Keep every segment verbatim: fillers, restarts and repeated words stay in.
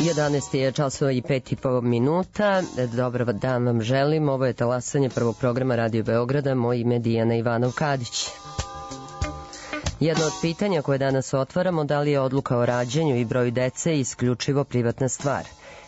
jedanaest je časova i pet i po minuta. Dobar dan vam želim. Ovo je talasanje prvog programa Radio Beograda. Moje ime je Dijana Ivanov-Kadić. Jedno od pitanja koje danas otvaramo, da li je odluka o rađanju i broju dece isključivo privatna stvar?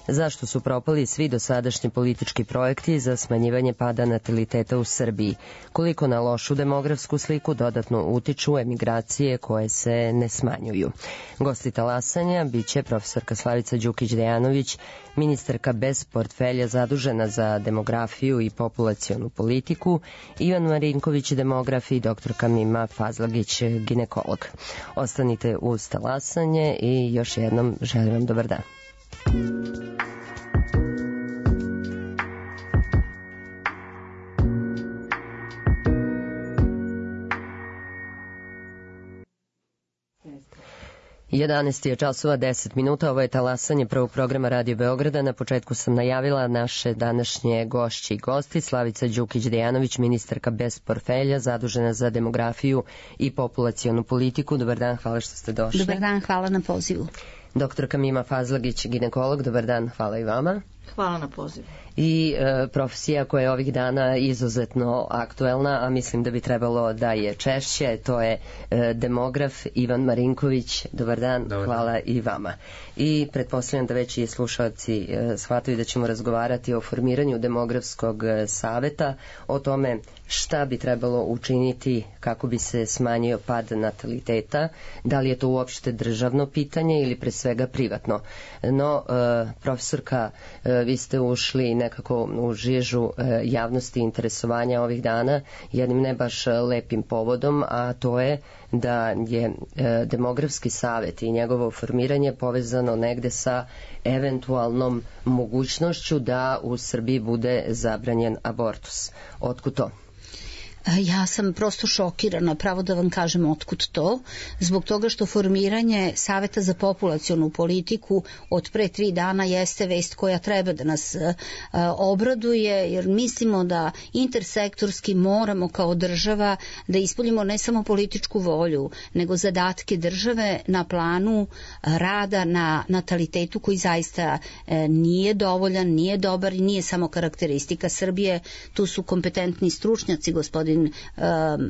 Zašto su propali svi dosadašnji politički projekti za smanjivanje pada nataliteta u Srbiji? Koliko na lošu demografsku sliku dodatno utiču emigracije koje se ne smanjuju? Gosti talasanja biće profesorka Slavica Đukić-Dejanović, ministarka bez portfelja zadužena za demografiju i populacionu politiku, Ivan Marinković, demograf, i doktorka Mima Fazlagić, ginekolog. Ostanite uz talasanje i još jednom želim vam dobar dan. jedanaest je časova deset minuta, ovo je talasanje prvog programa Radio Beograda. Na početku sam najavila naše današnje gošće i gosti. Slavica Đukić-Dejanović, ministarka bez portfelja, zadužena za demografiju i populacionu politiku. Dobar dan, hvala što ste došli. Dobar dan, hvala na pozivu. Doktorka Mima Fazlagić, ginekolog, dobar dan, hvala i vama. Hvala na pozivu. I e, profesija koja je ovih dana izuzetno aktuelna, a mislim da bi trebalo da je češće, to je e, demograf Ivan Marinković. Dobar dan, dobar hvala dan. I vama. I pretpostavljam da već i slušalci e, shvataju da ćemo razgovarati o formiranju demografskog saveta, o tome šta bi trebalo učiniti kako bi se smanjio pad nataliteta, da li je to uopšte državno pitanje ili pre svega privatno. No, e, profesorka, e, vi ste ušli nekako u žižu e, javnosti interesovanja ovih dana jednim ne baš lepim povodom, a to je da je e, demografski savet i njegovo formiranje povezano negde sa eventualnom mogućnošću da u Srbiji bude zabranjen abortus. Otkud to? Ja sam prosto šokirana, pravo da vam kažem otkud to, zbog toga što formiranje Saveta za populacionu politiku od pre tri dana jeste vest koja treba da nas uh, obraduje, jer mislimo da intersektorski moramo kao država da ispoljimo ne samo političku volju, nego zadatke države na planu rada na natalitetu koji zaista uh, nije dovoljan, nije dobar i nije samo karakteristika Srbije. Tu su kompetentni stručnjaci, gospodin Uh,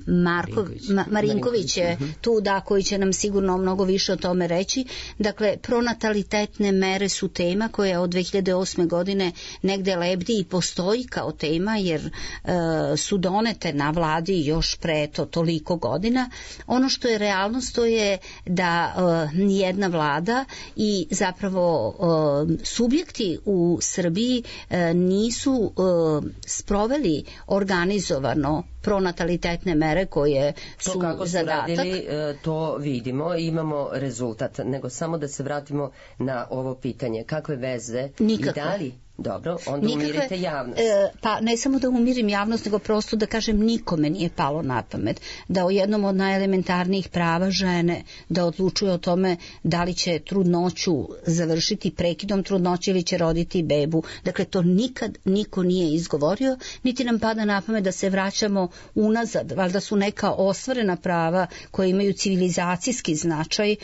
Marko, Ma, Marinković je tu, da, koji će nam sigurno mnogo više o tome reći. Dakle, pronatalitetne mere su tema koja od dve hiljade osme godine negde lebdi i postoji kao tema, jer uh, su donete na vladi još pre to toliko godina. Ono što je realnost, to je da uh, nijedna vlada i zapravo uh, subjekti u Srbiji uh, nisu uh, sproveli organizovano pronatalitetne mere koje su to kako su zadatak. Radili, to vidimo i imamo rezultat, nego samo da se vratimo na ovo pitanje. Kakve veze Nikakve. I da li? Dobro, onda Nikakve, umirite javnost. E, pa ne samo da umirim javnost, nego prosto da kažem, nikome nije palo na pamet da o jednom od najelementarnijih prava žene da odlučuje o tome da li će trudnoću završiti prekidom trudnoće ili će roditi bebu. Dakle, to nikad niko nije izgovorio, niti nam pada na pamet da se vraćamo unazad. Valjda su neka ostvarena prava koje imaju civilizacijski značaj e,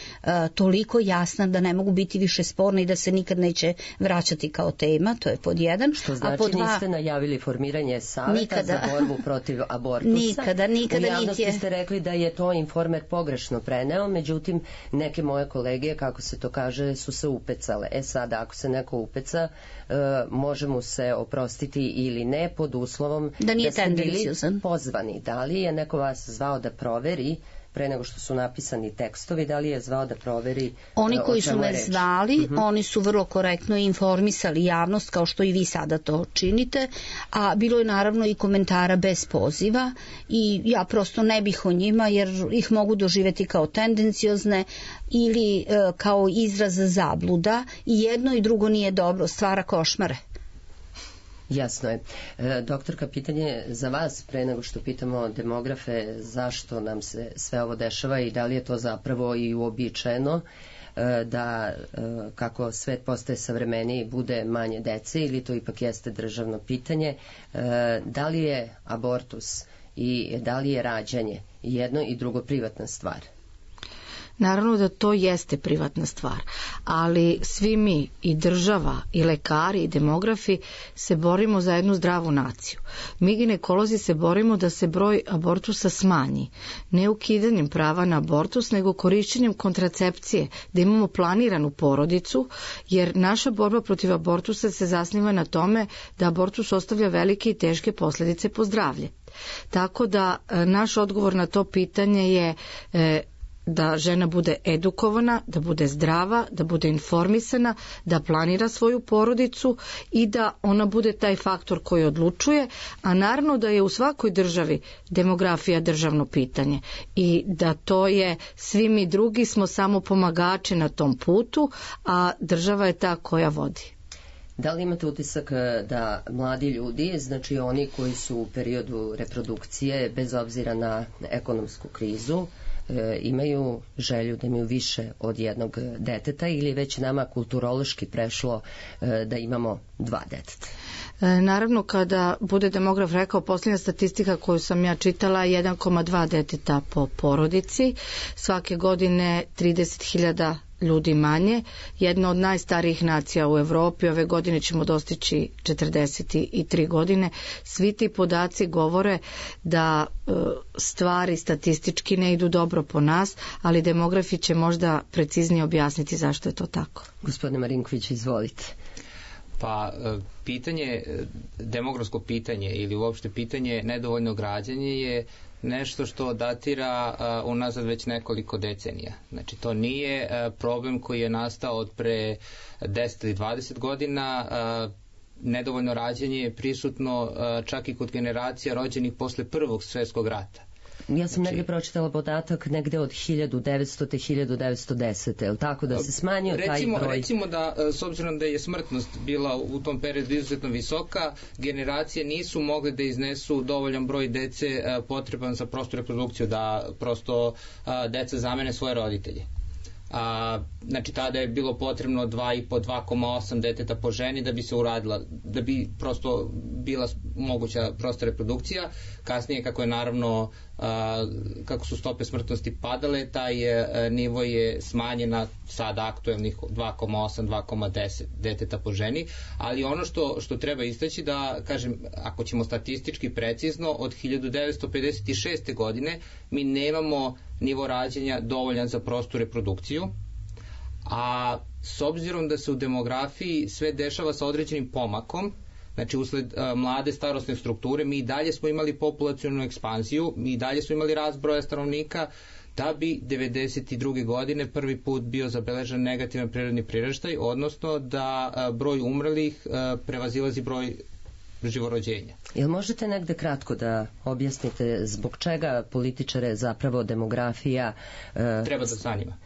toliko jasna da ne mogu biti više sporne i da se nikad neće vraćati kao tema. To je pod jedan. Što znači, a pod dva, niste najavili formiranje saveta nikada, za borbu protiv abortusa? Nikada, nikada. U javnosti je... ste rekli da je to Informer pogrešno preneo, međutim, neke moje kolege, kako se to kaže, su se upecale. E sada, ako se neko upeca, uh, može mu se oprostiti ili ne, pod uslovom da, nije da ste bili pozvani. Da li je neko vas zvao da proveri pre nego što su napisani tekstovi, da li je zvao da proveri oni koji su me reč? zvali, uh-huh. oni su vrlo korektno informisali javnost, kao što i vi sada to činite, a bilo je naravno i komentara bez poziva i ja prosto ne bih o njima, jer ih mogu doživjeti kao tendenciozne ili e, kao izraz zabluda, i jedno i drugo nije dobro, stvara košmare. Jasno je. E, doktorka, pitanje za vas, pre nego što pitamo demografe zašto nam se sve ovo dešava i da li je to zapravo i uobičajeno e, da e, kako svet postaje savremeniji bude manje dece, ili to ipak jeste državno pitanje. E, da li je abortus i da li je rađanje jedno i drugo privatna stvar? Naravno da to jeste privatna stvar, ali svi mi, i država, i lekari, i demografi, se borimo za jednu zdravu naciju. Mi ginekolozi se borimo da se broj abortusa smanji, ne ukidanjem prava na abortus, nego korišćenjem kontracepcije, da imamo planiranu porodicu, jer naša borba protiv abortusa se zasniva na tome da abortus ostavlja velike i teške posljedice po zdravlje. Tako da naš odgovor na to pitanje je e, da žena bude edukovana, da bude zdrava, da bude informisana, da planira svoju porodicu i da ona bude taj faktor koji odlučuje, a naravno da je u svakoj državi demografija državno pitanje i da to je, svi mi drugi smo samo pomagači na tom putu, a država je ta koja vodi. Da li imate utisak da mladi ljudi, znači oni koji su u periodu reprodukcije, bez obzira na ekonomsku krizu, imaju želju da imaju više od jednog deteta, ili već nama kulturološki prešlo da imamo dva deteta? Naravno, kada bude demograf rekao, posljednja statistika koju sam ja čitala, jedan zarez dva deteta po porodici, svake godine trideset hiljada ljudi manje, jedna od najstarijih nacija u Evropi, ove godine ćemo dostići četrdeset tri godine. Svi ti podaci govore da e, stvari statistički ne idu dobro po nas, ali demografi će možda preciznije objasniti zašto je to tako. Gospodine Marinković, izvolite. Pa pitanje, demografsko pitanje ili uopšte pitanje nedovoljnog rađanja je nešto što datira uh, unazad već nekoliko decenija. Znači to nije uh, problem koji je nastao od pre deset ili dvadeset godina. Uh, nedovoljno rađanje je prisutno uh, čak i kod generacija rođenih posle Prvog svjetskog rata. Ja sam negdje pročitala podatak negde od hiljadu devetsto. do hiljadu devetsto desete. Je li tako da se smanjio recimo, taj broj? Recimo da, s obzirom da je smrtnost bila u tom periodu izuzetno visoka, generacije nisu mogle da iznesu dovoljan broj dece potreban za prostu reprodukciju, da prosto deca zamene svoje roditelje. A, znači tada je bilo potrebno dva i po do dva zarez osam deteta po ženi da bi se uradila, da bi prosto bila moguća prosta reprodukcija. Kasnije, kako je naravno a, kako su stope smrtnosti padale, taj a, nivo je smanjen na sada aktuelnih dva zarez osam do dva zarez deset deteta po ženi, ali ono što, što treba istaći da, kažem, ako ćemo statistički precizno, od hiljadu devetsto pedeset šeste godine mi nemamo nivo rađanja dovoljan za prostu reprodukciju, a s obzirom da se u demografiji sve dešava sa određenim pomakom, znači usled a, mlade starosne strukture, mi i dalje smo imali populacionu ekspanziju, mi i dalje smo imali rast broja stanovnika, da bi devedeset druge godine prvi put bio zabeležen negativan prirodni priraštaj, odnosno da a, broj umrlih a, prevazilazi broj živorođenja. Jel možete negde kratko da objasnite zbog čega političare zapravo demografija e... treba da zanima?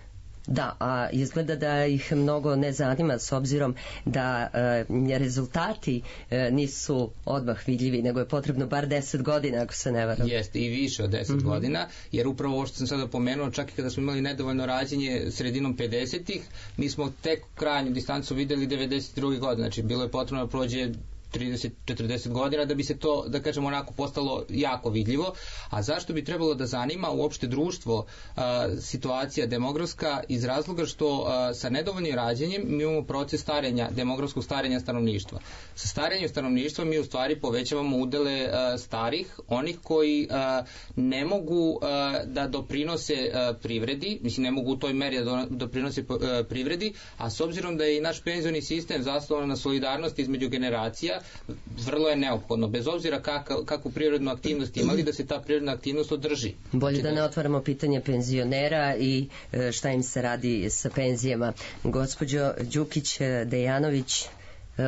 Da, a izgleda da ih mnogo ne zanima, s obzirom da e, rezultati e, nisu odmah vidljivi, nego je potrebno bar deset godina, ako se ne varam. Jeste, i više od deset mm-hmm. godina, jer upravo ovo što sam sada pomenuo, čak i kada smo imali nedovoljno rađenje sredinom pedesetih, mi smo tek krajnju distancu videli devedeset druge godine, znači bilo je potrebno da prođe trideset do četrdeset godina da bi se to, da kažemo, onako postalo jako vidljivo. A zašto bi trebalo da zanima uopšte društvo a, situacija demografska? Iz razloga što a, sa nedovoljnim rađenjem mi imamo proces starenja, demografskog starenja stanovništva. Sa starenjem stanovništva mi u stvari povećavamo udele a, starih, onih koji a, ne mogu a, da doprinose a, privredi, mislim ne mogu u toj meri da doprinose a, privredi, a s obzirom da je i naš penzioni sistem zasnovan na solidarnosti između generacija, vrlo je neophodno, bez obzira kakav, kakvu prirodnu aktivnost imali, da se ta prirodna aktivnost održi. Bolje da ne otvaramo pitanje penzionera i šta im se radi sa penzijama. Gospođo Đukić-Dejanović,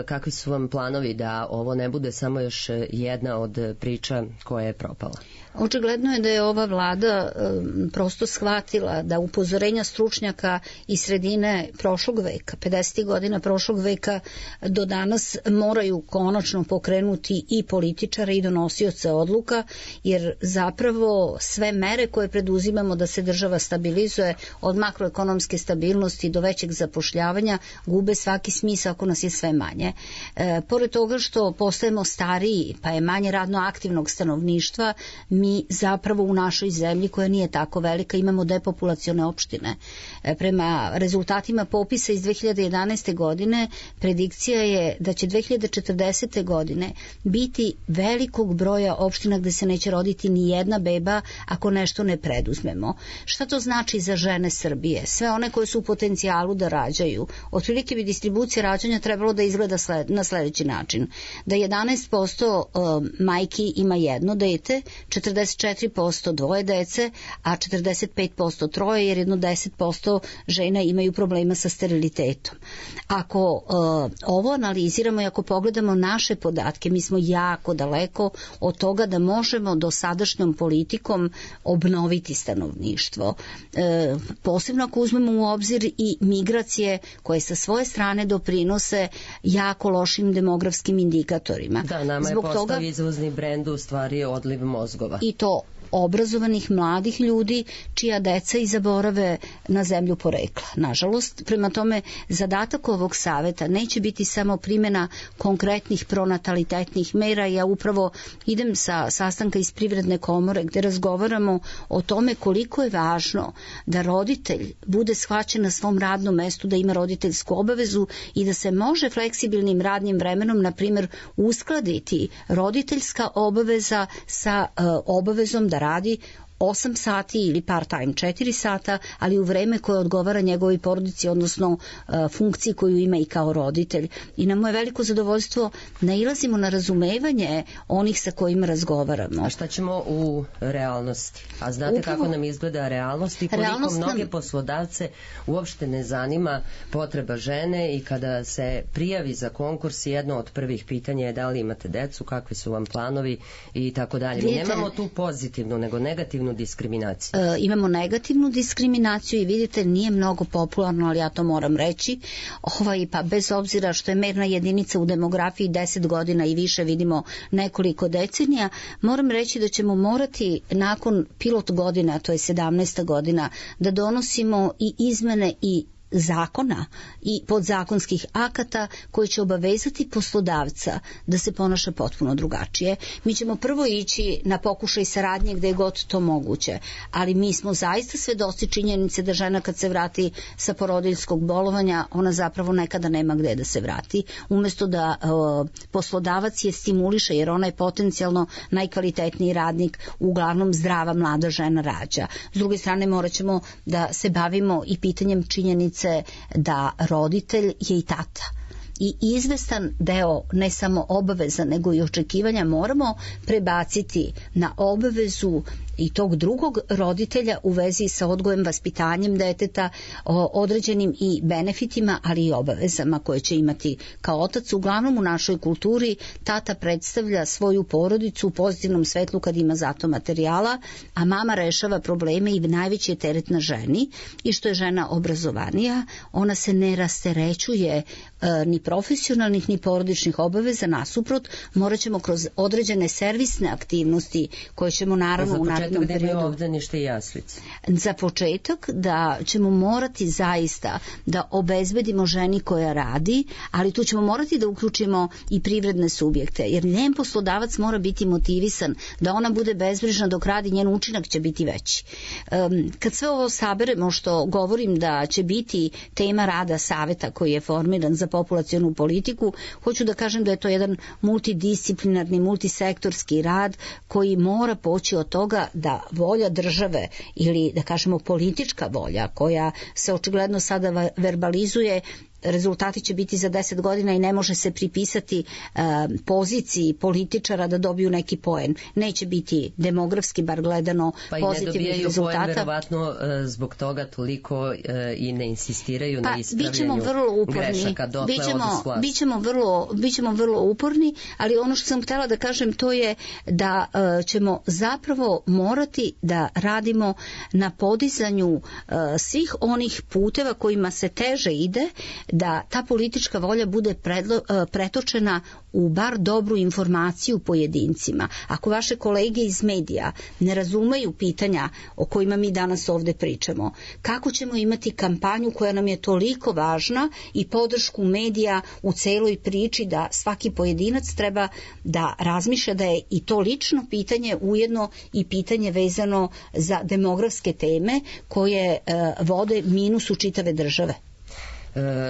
kakvi su vam planovi da ovo ne bude samo još jedna od priča koja je propala? Očigledno je da je ova vlada um, prosto shvatila da upozorenja stručnjaka iz sredine prošlog veka, pedesetih godina prošlog veka do danas moraju konačno pokrenuti i političare i donosioce odluka, jer zapravo sve mere koje preduzimamo da se država stabilizuje, od makroekonomske stabilnosti do većeg zapošljavanja, gube svaki smisao ako nas je sve manje. manje. E, pored toga što postajemo stariji, pa je manje radno aktivnog stanovništva, mi zapravo u našoj zemlji, koja nije tako velika, imamo depopulacione opštine. E, prema rezultatima popisa iz dve hiljade jedanaeste. godine, predikcija je da će dve hiljade četrdesete. godine biti velikog broja opština gde se neće roditi ni jedna beba ako nešto ne preduzmemo. Šta to znači za žene Srbije? Sve one koje su u potencijalu da rađaju. Otprilike bi distribucija rađanja trebalo da izgleda sled, na sledeći način. Da jedanaest posto majki ima jedno dete, četrdeset četiri posto dvoje dece, a četrdeset pet posto troje, jer jedno deset posto žena imaju problema sa sterilitetom. Ako uh, ovo analiziramo i ako pogledamo naše podatke, mi smo jako daleko od toga da možemo dosadašnjom politikom obnoviti stanovništvo. E, posebno ako uzmemo u obzir i migracije koje sa svoje strane doprinose jako lošim demografskim indikatorima. Da, nama Zbog je postao toga, izvozni brend u stvari odliv mozgova. I to obrazovanih mladih ljudi čija deca i zaborave na zemlju porekla. Nažalost, prema tome, zadatak ovog saveta neće biti samo primjena konkretnih pronatalitetnih mera. Ja upravo idem sa sastanka iz Privredne komore gde razgovaramo o tome koliko je važno da roditelj bude shvaćen na svom radnom mestu, da ima roditeljsku obavezu i da se može fleksibilnim radnim vremenom, na primjer, uskladiti roditeljska obaveza sa uh, obavezom da radi osam sati ili part-time četiri sata, ali u vreme koje odgovara njegovoj porodici, odnosno uh, funkciji koju ima i kao roditelj. I na moje veliko zadovoljstvo nailazimo na razumevanje onih sa kojima razgovaramo. A šta ćemo u realnosti? A znate Upravo, kako nam izgleda realnost i koliko realnost mnoge nam... poslodavce uopšte ne zanima potreba žene i kada se prijavi za konkurs, jedno od prvih pitanja je da li imate decu, kakvi su vam planovi i tako dalje. Mi nemamo tu pozitivnu, nego negativnu diskriminaciju. E, imamo negativnu diskriminaciju i vidite, nije mnogo popularno, ali ja to moram reći. Ovaj, pa bez obzira što je merna jedinica u demografiji deset godina i više, vidimo nekoliko decenija, moram reći da ćemo morati nakon pilot godina, a to je sedamnaesta godina, da donosimo i izmene i zakona i podzakonskih akata koji će obavezati poslodavca da se ponaša potpuno drugačije. Mi ćemo prvo ići na pokušaj saradnje gde je god to moguće, ali mi smo zaista svedoci činjenice da žena kad se vrati sa porodiljskog bolovanja, ona zapravo nekada nema gde da se vrati. Umesto da o, poslodavac je stimuliše, jer ona je potencijalno najkvalitetniji radnik, uglavnom zdrava mlada žena rađa. S druge strane, morat ćemo da se bavimo i pitanjem činjenice da roditelj je i tata. I izvestan deo ne samo obaveza nego i očekivanja moramo prebaciti na obavezu i tog drugog roditelja u vezi sa odgojem, vaspitanjem deteta, određenim i benefitima, ali i obavezama koje će imati kao otac. Uglavnom u našoj kulturi tata predstavlja svoju porodicu u pozitivnom svetlu kad ima zato materijala, a mama rešava probleme i najveći je teret na ženi. I što je žena obrazovanija, ona se ne rasterećuje e, ni profesionalnih ni porodičnih obaveza, nasuprot, morat ćemo kroz određene servisne aktivnosti koje ćemo naravno u narednom periodu. Ovde ništa i jaslice. Za početak da ćemo morati zaista da obezbedimo ženi koja radi, ali tu ćemo morati da uključimo i privredne subjekte, jer njen poslodavac mora biti motivisan da ona bude bezbrižna dok radi, njen učinak će biti veći. Um, kad sve ovo saberemo, što govorim da će biti tema rada saveta koji je formiran za populacionu politiku, hoću da kažem da je to jedan multidisciplinarni, multisektorski rad koji mora poći od toga da volja države ili da kažemo politička volja koja se očigledno sada verbalizuje, rezultati će biti za deset godina i ne može se pripisati uh, poziciji političara da dobiju neki poen. Neće biti demografski, bar gledano, pa pozitivnih rezultata. Pa i ne dobijaju poen, verovatno uh, zbog toga toliko uh, i ne insistiraju pa, na ispravljanju grešaka. Dotle bićemo, bićemo, vrlo, bićemo vrlo uporni, ali ono što sam htjela da kažem to je da uh, ćemo zapravo morati da radimo na podizanju uh, svih onih puteva kojima se teže ide, da ta politička volja bude predlo, pretočena u bar dobru informaciju pojedincima. Ako vaše kolege iz medija ne razumeju pitanja o kojima mi danas ovde pričamo, kako ćemo imati kampanju koja nam je toliko važna i podršku medija u celoj priči da svaki pojedinac treba da razmišlja da je i to lično pitanje ujedno i pitanje vezano za demografske teme koje e, vode minusu čitave države.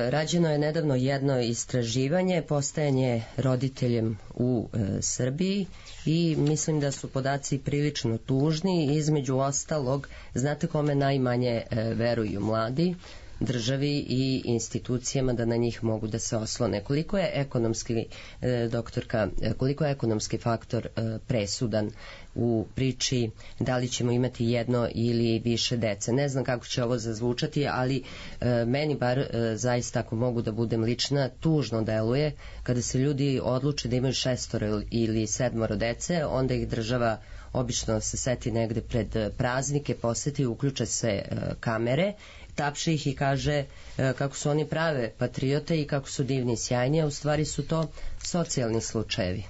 Rađeno je nedavno jedno istraživanje, postajanje roditeljem u e, Srbiji i mislim da su podaci prilično tužni. Između ostalog, znate kome najmanje e, veruju mladi? Državi i institucijama da na njih mogu da se oslone. Koliko je ekonomski, e, doktorka, koliko je ekonomski faktor e, presudan u priči da li ćemo imati jedno ili više dece? Ne znam kako će ovo zazvučati, ali e, meni bar e, zaista, ako mogu da budem lična, tužno deluje kada se ljudi odluče da imaju šestoro ili sedmoro dece, onda ih država obično se seti negde pred praznike, poseti, uključe se e, kamere, tapše ih i kaže e, kako su oni prave patriote i kako su divni i sjajni, a u stvari su to socijalni slučajevi.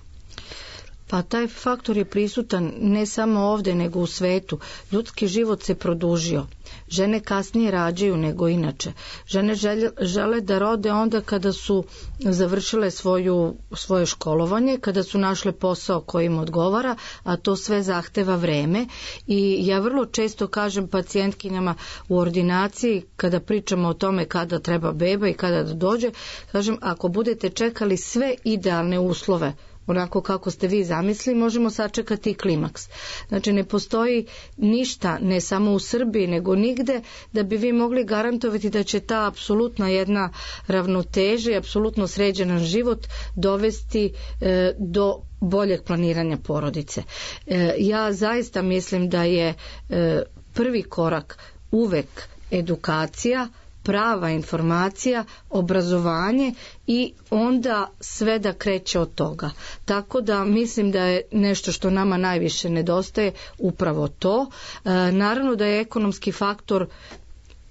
Pa taj faktor je prisutan ne samo ovde nego u svetu. Ljudski život se produžio. Žene kasnije rađaju nego inače. Žene žele, žele da rode onda kada su završile svoju, svoje školovanje, kada su našle posao koji im odgovara, a to sve zahteva vreme. I ja vrlo često kažem pacijentkinjama u ordinaciji, kada pričamo o tome kada treba beba i kada da dođe, kažem, ako budete čekali sve idealne uslove, onako kako ste vi zamislili, možemo sačekati i klimaks. Znači, ne postoji ništa, ne samo u Srbiji, nego nigde, da bi vi mogli garantovati da će ta apsolutna jedna ravnoteža i apsolutno sređen život dovesti e, do boljeg planiranja porodice. E, ja zaista mislim da je e, prvi korak uvek edukacija, prava informacija, obrazovanje i onda sve da kreće od toga. Tako da mislim da je nešto što nama najviše nedostaje upravo to. E, naravno da je ekonomski faktor,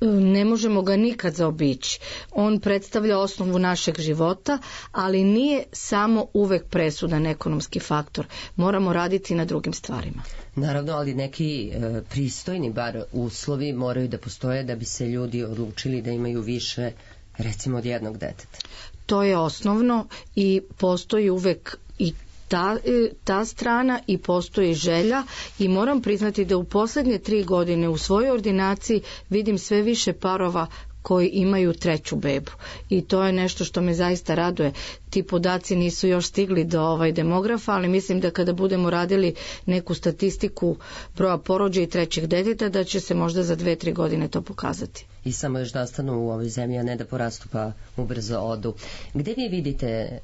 ne možemo ga nikad zaobići. On predstavlja osnovu našeg života, ali nije samo uvek presudan ekonomski faktor. Moramo raditi na drugim stvarima. Naravno, ali neki e, pristojni bar uslovi moraju da postoje da bi se ljudi odlučili da imaju više, recimo, od jednog deteta. To je osnovno i postoji uvek i Ta, ta strana i postoji želja i moram priznati da u poslednje tri godine u svojoj ordinaciji vidim sve više parova koji imaju treću bebu i to je nešto što me zaista raduje. Ti podaci nisu još stigli do ovaj demografa, ali mislim da kada budemo radili neku statistiku broja porođaja i trećih deteta, da će se možda za dve, tri godine to pokazati. I samo još da ostanu u ovoj zemlji, a ne da porastu pa ubrzo odu. Gde vi vidite e,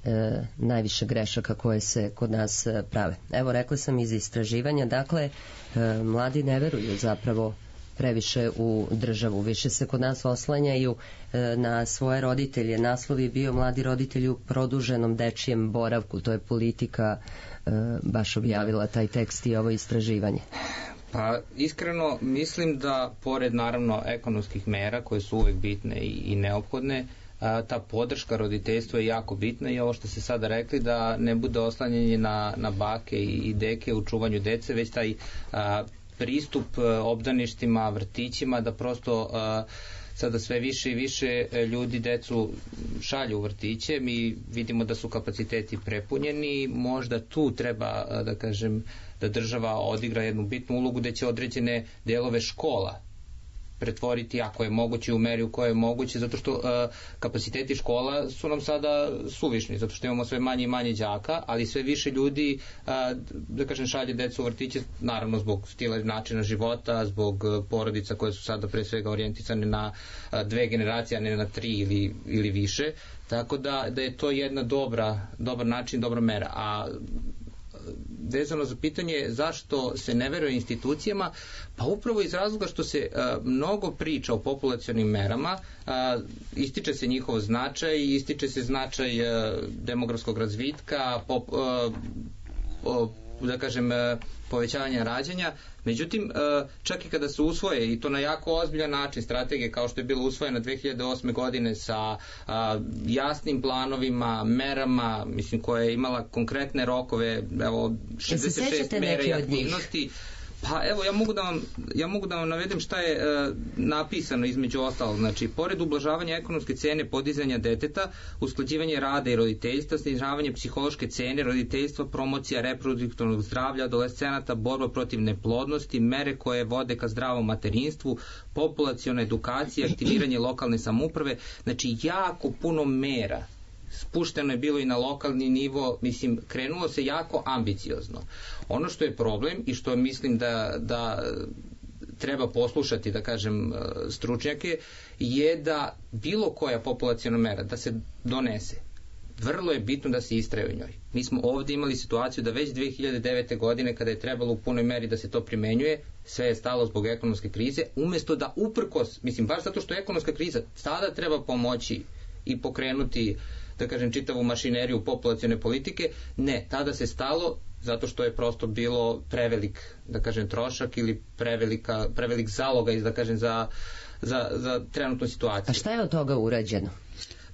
najviše grešaka koje se kod nas e, prave? Evo, rekla sam iz istraživanja, dakle, e, mladi ne veruju zapravo previše u državu. Više se kod nas oslanjaju e, na svoje roditelje. Naslov je bio Mladi roditelji u produženom dečijem boravku. To je Politika e, baš objavila taj tekst i ovo istraživanje. Pa iskreno mislim da pored naravno ekonomskih mera koje su uvek bitne i, i neophodne, a, ta podrška roditeljstva je jako bitna i ovo što ste sada rekli da ne bude oslanjanje na, na bake i, i deke u čuvanju dece, već taj a, pristup obdaništima, vrtićima, da prosto a, sada sve više i više ljudi decu šalju u vrtiće. Mi vidimo da su kapaciteti prepunjeni, možda tu treba, da kažem, da država odigra jednu bitnu ulogu gde će određene delove škola pretvoriti, ako je moguće, u meri u kojoj je moguće, zato što uh, kapaciteti škola su nam sada suvišni, zato što imamo sve manje i manje đaka, ali sve više ljudi, uh, da kažem, šalje decu u vrtiće, naravno zbog stila i načina života, zbog uh, porodica koje su sada pre svega orijentisane na uh, dve generacije, a ne na tri ili, ili više, tako da, da je to jedna dobra, dobar način, dobra mera. A vezano za pitanje zašto se ne veruje institucijama, pa upravo iz razloga što se uh, mnogo priča o populacionim merama, uh, ističe se njihov značaj, ističe se značaj uh, demografskog razvitka, pop, uh, da kažem, povećavanja rađanja. Međutim, čak i kada se usvoje, i to na jako ozbiljan način, strategije kao što je bilo usvojena dve hiljade osme godine sa jasnim planovima, merama, mislim, koja je imala konkretne rokove, evo, šezdeset šest mera i aktivnosti. Pa evo, ja mogu da vam, ja mogu da vam navedem šta je e, napisano između ostalog. Znači, pored ublažavanja ekonomske cene podizanja deteta, usklađivanje rada i roditeljstva, snižavanje psihološke cene roditeljstva, promocija reproduktivnog zdravlja adolescenata, borba protiv neplodnosti, mere koje vode ka zdravom materinstvu, populaciona edukacija, aktiviranje lokalne samouprave, znači jako puno mera. Spušteno je bilo i na lokalni nivo, mislim, krenulo se jako ambiciozno. Ono što je problem i što mislim da, da treba poslušati, da kažem, stručnjake, je da bilo koja populaciona mera da se donese, vrlo je bitno da se istraje u njoj. Mi smo ovdje imali situaciju da već dve hiljade devete. godine, kada je trebalo u punoj meri da se to primenjuje, sve je stalo zbog ekonomske krize, umjesto da uprkos, mislim, baš zato što je ekonomska kriza, tada treba pomoći i pokrenuti, da kažem, čitavu mašineriju populacione politike. Ne, tada se stalo zato što je prosto bilo prevelik, da kažem, trošak ili prevelika, prevelik zaloga, da kažem, za, za, za trenutnu situaciju. A šta je od toga urađeno?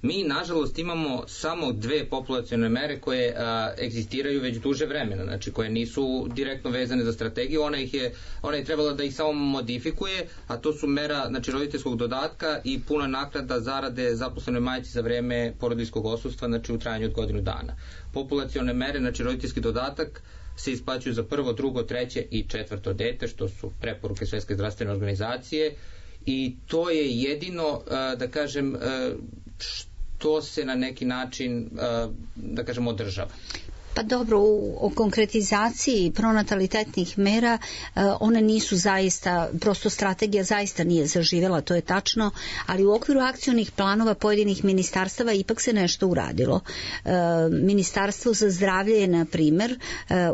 Mi, nažalost, imamo samo dve populacione mere koje a, egzistiraju već duže vremena, znači koje nisu direktno vezane za strategiju, ona, ih je, ona je trebala da ih samo modifikuje, a to su mera, znači, roditeljskog dodatka i puna naknada zarade zaposlenoj majci za vreme porodiljskog odsustva, znači u trajanju od godinu dana. Populacione mere, znači roditeljski dodatak, se isplaćuju za prvo, drugo, treće i četvrto dete, što su preporuke Svetske zdravstvene organizacije, i to je jedino, da kažem, što se na neki način, da kažem, održava. Pa dobro, u, u konkretizaciji pronatalitetnih mera e, one nisu zaista, prosto strategija zaista nije zaživjela, to je tačno, ali u okviru akcionih planova pojedinih ministarstava ipak se nešto uradilo. E, Ministarstvo za zdravlje je, na primjer, e,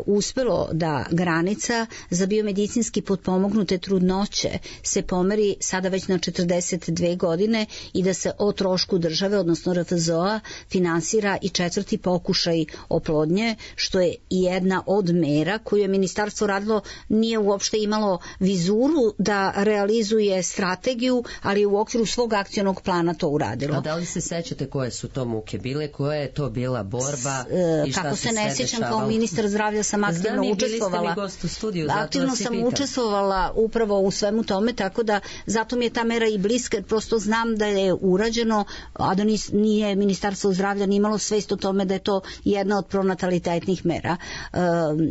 uspelo da granica za biomedicinski potpomognute trudnoće se pomeri sada već na četrdeset dve godine i da se o trošku države, odnosno R F Z O-a, finansira i četvrti pokušaj oplodnje, što je jedna od mera koju je ministarstvo radilo, nije uopšte imalo vizuru da realizuje strategiju, ali u okviru svog akcionog plana to uradilo. A da li se sećate koje su to muke bile, koja je to bila borba i šta Kako se se ne sjećam, kao ministar zdravlja sam aktivno Znam, učestvovala. Gost u studiju, aktivno sam pitam. učestvovala upravo u svemu tome, tako da zato mi je ta mera i bliska, jer prosto znam da je urađeno, a da nije ministarstvo zdravlja ni imalo svest o tome da je to jedna od pronatalitetnih mera.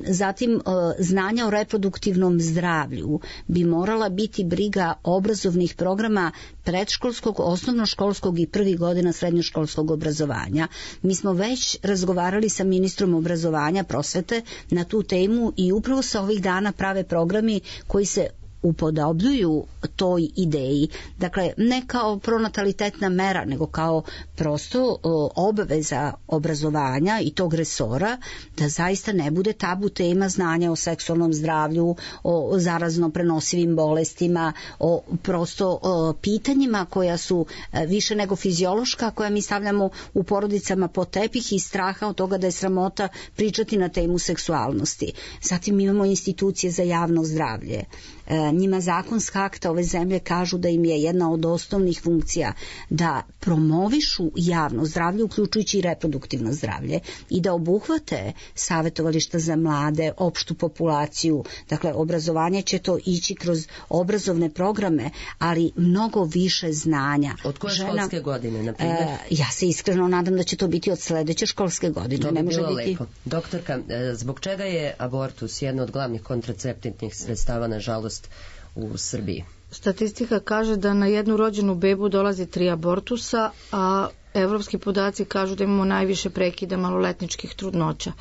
Zatim, znanja o reproduktivnom zdravlju bi morala biti briga obrazovnih programa predškolskog, osnovnoškolskog i prvih godina srednjoškolskog obrazovanja. Mi smo već razgovarali sa ministrom obrazovanja, prosvete na tu temu i upravo se ovih dana prave programi koji se upodobljuju toj ideji. Dakle, ne kao pronatalitetna mera, nego kao prosto o, obaveza obrazovanja i tog resora, da zaista ne bude tabu tema znanja o seksualnom zdravlju, o zarazno prenosivim bolestima, o prosto o, pitanjima koja su e, više nego fiziološka, koja mi stavljamo u porodicama pod tepih i straha od toga da je sramota pričati na temu seksualnosti. Zatim imamo institucije za javno zdravlje. E, njima zakonska akta ove zemlje kažu da im je jedna od osnovnih funkcija da promovišu javno zdravlje, uključujući i reproduktivno zdravlje, i da obuhvate savjetovališta za mlade, opštu populaciju. Dakle, obrazovanje će to ići kroz obrazovne programe, ali mnogo više znanja. Od koje Žena, školske godine, na primjer? E, ja se iskreno nadam da će to biti od sledeće školske godine. To bi ne može bilo biti... lepo. Doktorka, zbog čega je abortus jedna od glavnih kontraceptivnih sredstava, nažalost, u Srbiji? Statistika kaže da na jednu rođenu bebu dolazi tri abortusa, a evropski podaci kažu da imamo najviše prekida maloletničkih trudnoća.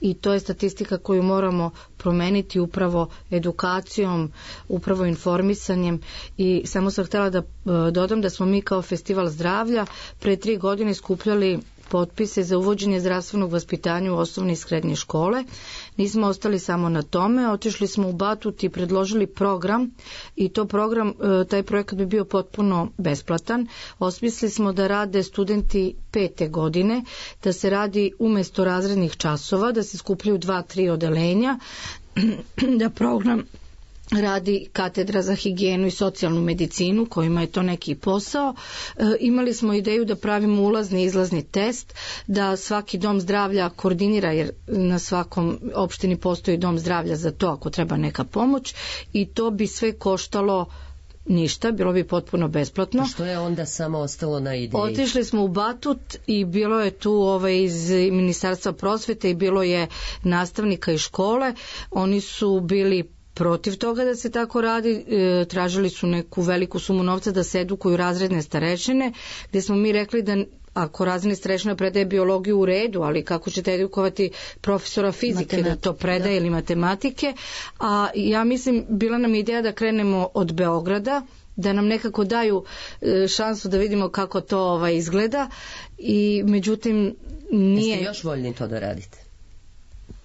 I to je statistika koju moramo promeniti upravo edukacijom, upravo informisanjem. I samo sam htjela da dodam da smo mi kao Festival zdravlja pre tri godine skupljali potpise za uvođenje zdravstvenog vaspitanja u osnovne i srednje škole. Nismo ostali samo na tome, otišli smo u Batut i predložili program i to program, taj projekat bi bio potpuno besplatan. Osmislili smo da rade studenti pete godine, da se radi umesto razrednih časova, da se skupljaju dva, tri odelenja, da program radi katedra za higijenu i socijalnu medicinu, kojima je to neki posao. E, imali smo ideju da pravimo ulazni i izlazni test, da svaki dom zdravlja koordinira, jer na svakom opštini postoji dom zdravlja za to ako treba neka pomoć, i to bi sve koštalo ništa, bilo bi potpuno besplatno. A što je onda samo ostalo na ideji? Otišli smo u Batut i bilo je tu ovaj, iz Ministarstva prosvete i bilo je nastavnika iz škole. Oni su bili protiv toga da se tako radi, e, tražili su neku veliku sumu novca da se edukuju razredne starešine, gdje smo mi rekli da ako razredni starešina predaje biologiju u redu, ali kako ćete edukovati profesora fizike da to predaje, da, ili matematike. A ja mislim, bila nam ideja da krenemo od Beograda, da nam nekako daju šansu da vidimo kako to ovaj, izgleda, i međutim nije... Jeste još voljni to da radite?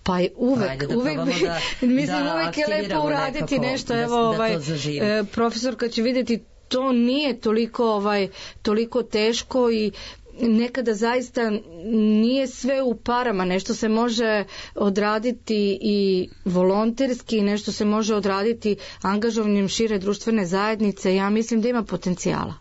Pa uvek, da uvek bi, da, mislim da uvek je lepo uraditi nekako, nešto, da, evo da ovaj, e, profesor kad će vidjeti, to nije toliko, ovaj, toliko teško i nekada zaista nije sve u parama, nešto se može odraditi i volonterski, nešto se može odraditi angažovanjem šire društvene zajednice. Ja mislim da ima potencijala.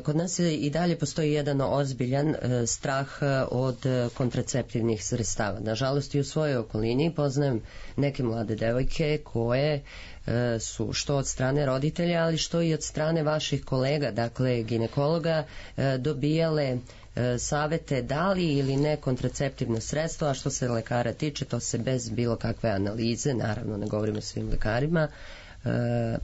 Kod nas i dalje postoji jedan ozbiljan strah od kontraceptivnih sredstava. Nažalost, i u svojoj okolini poznajem neke mlade devojke koje su što od strane roditelja, ali što i od strane vaših kolega, dakle ginekologa, dobijale savete da li ili ne kontraceptivno sredstvo, a što se lekara tiče, to se bez bilo kakve analize, naravno ne govorimo o svim lekarima,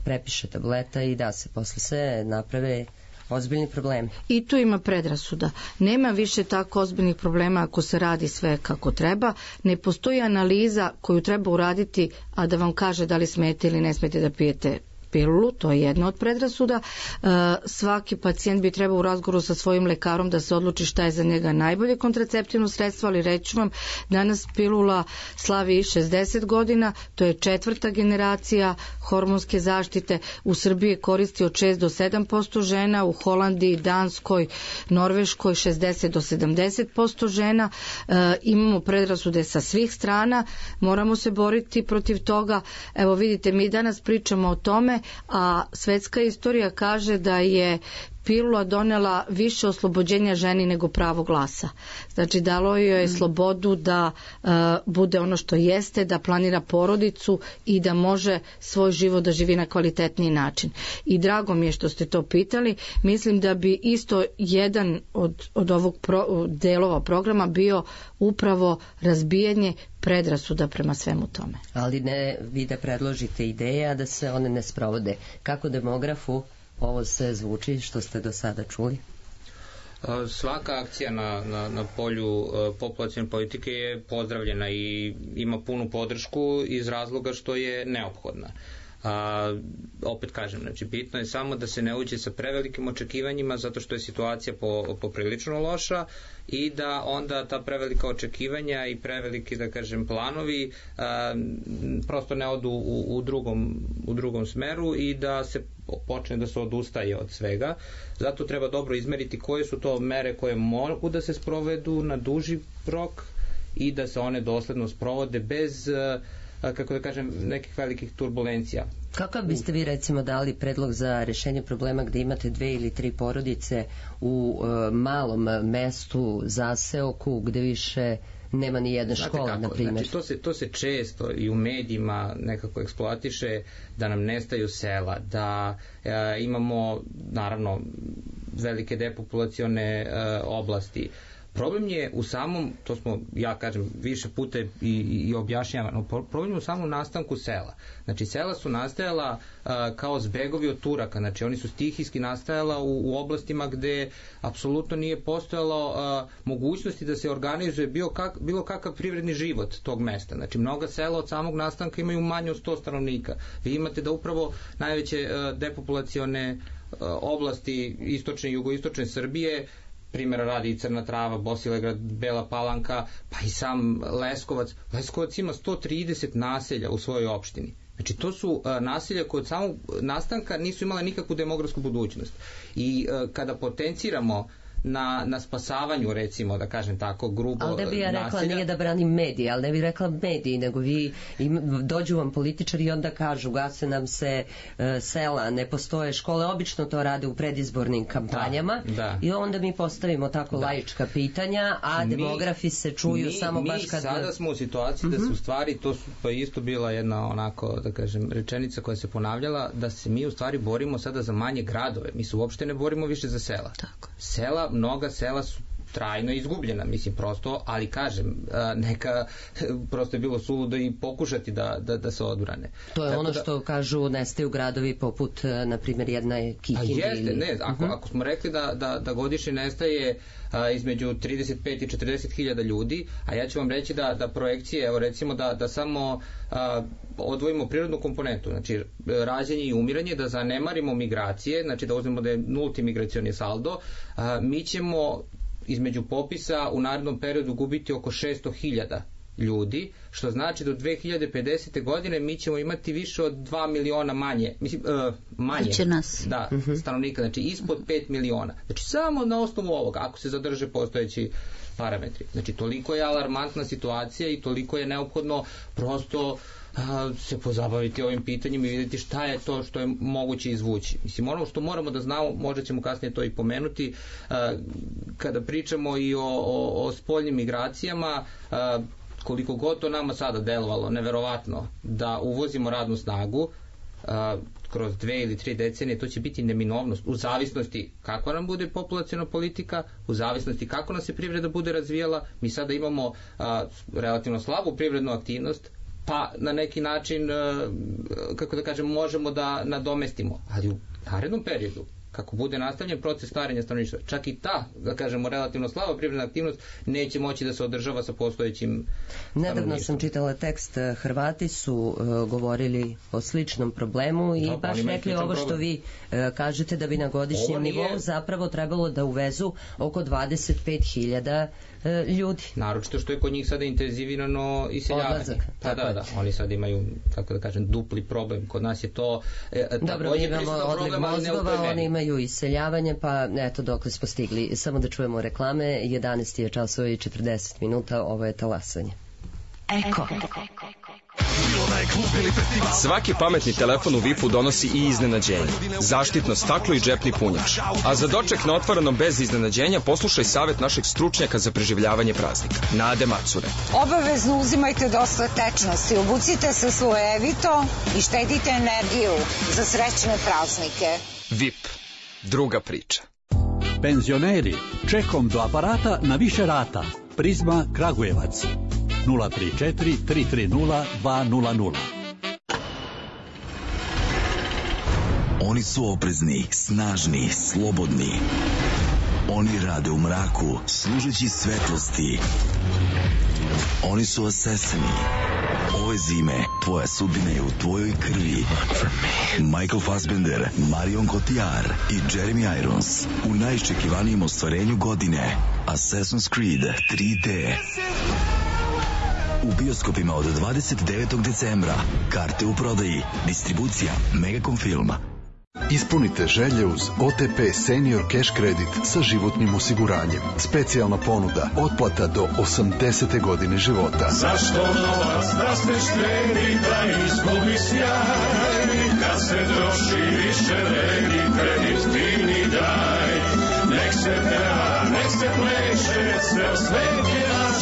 prepiše tableta i da se posle se naprave ozbiljni problemi. I tu ima predrasuda. Nema više tako ozbiljnih problema ako se radi sve kako treba. Ne postoji analiza koju treba uraditi, a da vam kaže da li smete ili ne smete da pijete pilulu, to je jedna od predrasuda. E, svaki pacijent bi trebao u razgovoru sa svojim lekarom da se odluči šta je za njega najbolje kontraceptivno sredstvo, ali reći vam, danas pilula slavi šezdeset godina, to je četvrta generacija hormonske zaštite. U Srbiji koristi od šest do sedam posto žena, u Holandiji, Danskoj, Norveškoj šezdeset do sedamdeset posto žena. E, imamo predrasude sa svih strana, moramo se boriti protiv toga. Evo vidite, mi danas pričamo o tome, a svetska istorija kaže da je pilula donela više oslobođenja ženi nego pravo glasa. Znači, dalo joj je slobodu da uh, bude ono što jeste, da planira porodicu i da može svoj život da živi na kvalitetniji način. I drago mi je što ste to pitali. Mislim da bi isto jedan od, od ovog pro, delova programa bio upravo razbijanje predrasuda prema svemu tome. Ali ne vi da predložite ideje, a da se one ne sprovode. Kako demografu ovo se zvuči što ste do sada čuli? Svaka akcija na, na, na polju uh, populacione politike je pozdravljena i ima punu podršku iz razloga što je neophodna. A, opet kažem, znači bitno je samo da se ne uđe sa prevelikim očekivanjima zato što je situacija po, poprilično loša i da onda ta prevelika očekivanja i preveliki, da kažem, planovi a, prosto ne odu u, u, drugom, u drugom smeru i da se počne da se odustaje od svega. Zato treba dobro izmeriti koje su to mere koje mogu da se sprovedu na duži rok i da se one dosledno sprovode bez, kako da kažem, nekih velikih turbulencija. Kakav biste vi recimo dali predlog za rešenje problema gde imate dve ili tri porodice u uh, malom mestu, zaseoku, gde više nema ni jedna škola, na primjer? Znači, to se, to se često i u medijima nekako eksploatiše, da nam nestaju sela, da e, imamo naravno velike depopulacione e, oblasti. Problem je u samom, to smo, ja kažem, više puta i, i objašnjavano, problem je u samom nastanku sela. Znači, sela su nastajala a, kao zbegovi od Turaka, znači oni su stihijski nastajala u, u oblastima gde apsolutno nije postojalo a, mogućnosti da se organizuje bilo, kak, bilo kakav privredni život tog mesta. Znači, mnoga sela od samog nastanka imaju manje od sto stanovnika. Vi imate da upravo najveće a, depopulacione a, oblasti istočne i jugoistočne Srbije primjera radi i Crna Trava, Bosilegrad, Bela Palanka, pa i sam Leskovac. Leskovac ima sto trideset naselja u svojoj opštini. Znači, to su uh, naselja koje od samog nastanka nisu imale nikakvu demografsku budućnost. I uh, kada potenciramo na, na spasavanju, recimo, da kažem tako, grubo naselja... Ali ne bi ja rekla, naselja, nije da branim medije, ali ne bi rekla mediji, nego vi im, dođu vam političari i onda kažu, gase nam se uh, sela, ne postoje škole, obično to rade u predizbornim kampanjama, da, da. I onda mi postavimo tako da. laička pitanja, a mi, demografi se čuju mi, samo mi baš kad... Mi sada smo u situaciji uh-huh. da se u stvari, to su pa isto bila jedna onako, da kažem, rečenica koja se ponavljala, da se mi u stvari borimo sada za manje gradove, mi se uopšte ne borimo više za sela. Tako. Sela, mnoga sela su trajno izgubljena, mislim prosto, ali kažem, neka prosto je bilo suludo i pokušati da, da, da se odbrane. To je Tako ono da, što kažu nestaju gradovi poput, na primjer, jedna je Kikindi. A jeste, ne, ako, uh-huh. ako smo rekli da, da, da godišnje nestaje a, između trideset pet i četrdeset hiljada ljudi, a ja ću vam reći da, da projekcije, evo recimo da, da samo a, odvojimo prirodnu komponentu, znači rađenje i umiranje, da zanemarimo migracije, znači da uzmemo da je nulti migracioni saldo, a, mi ćemo između popisa u narednom periodu gubiti oko šesto hiljada ljudi, što znači do dve hiljade pedesete. godine mi ćemo imati više od dva miliona manje, mislim, uh, manje da, uh-huh. stanovnika, znači ispod pet miliona. Znači samo na osnovu ovoga, ako se zadrže postojeći parametri. Znači toliko je alarmantna situacija i toliko je neophodno prosto a, se pozabaviti ovim pitanjem i vidjeti šta je to što je moguće izvući. Mislim, ono što moramo da znamo, možda ćemo kasnije to i pomenuti, a, kada pričamo i o, o, o spoljnim migracijama, a, koliko god to nama sada delovalo neverovatno da uvozimo radnu snagu, a, kroz dve ili tri decenije, to će biti neminovnost u zavisnosti kakva nam bude populaciona politika, u zavisnosti kako nas se privreda bude razvijala. Mi sada imamo a, relativno slabu privrednu aktivnost, pa na neki način, a, kako da kažem, možemo da nadomestimo, ali u narednom periodu, kako bude nastavljen proces starenja stanovništva, čak i ta, da kažemo, relativno slaba privredna aktivnost neće moći da se održava sa postojećim stanovništvom. Nedavno sam čitala tekst, Hrvati su uh, govorili o sličnom problemu i da, baš rekli ovo što problem. vi uh, kažete, da bi na godišnjem nije... nivou zapravo trebalo da uvezu oko dvadeset pet hiljada uh, ljudi. Naročito što je kod njih sada intenzivirano iseljavanje. Odlazak. Pa da, da, oni sad imaju, kako da kažem, dupli problem. Kod nas je to e, dobro, mi imamo odliv mozgova, oni imaju iseljavanje, pa eto dokle smo stigli. Samo da čujemo reklame, jedanaest je časova i četrdeset minuta, ovo je Talasanje. Eko. Svaki pametni telefon u Vipu donosi i iznenađenje. Zaštitno staklo i džepni punjač. A za doček na otvorenom bez iznenađenja poslušaj savjet našeg stručnjaka za preživljavanje praznika, Nade Macure. Obavezno uzimajte dosta tečnosti, obucite se slojevito i štedite energiju za srećne praznike. Vip. Druga priča. Penzioneri, čekom do aparata na više rata. Prizma Kragujevac. nula tri četiri tri tri nula dva nula nula. Oni su oprezni, snažni, slobodni. Oni rade u mraku, služeći svetlosti. Oni su asesini. Ove zime tvoja sudbina je u tvojoj krvi. Michael Fassbender, Marion Cotillard i Jeremy Irons u najiščekivanijem ostvarenju godine, Assassin's Creed tri D. U bioskopima od dvadeset devetog decembra. Karte u prodaji. Distribucija Megacom Film. Ispunite želje uz O T P Senior Cash Credit sa životnim osiguranjem. Specijalna ponuda, otplata do osamdesete godine života. Zašto novac da se štedi, da izgubi sjaj? Kad se troši više vredi, kredit divni daj. Nek se peva, nek se pleše, ceo svet je naš.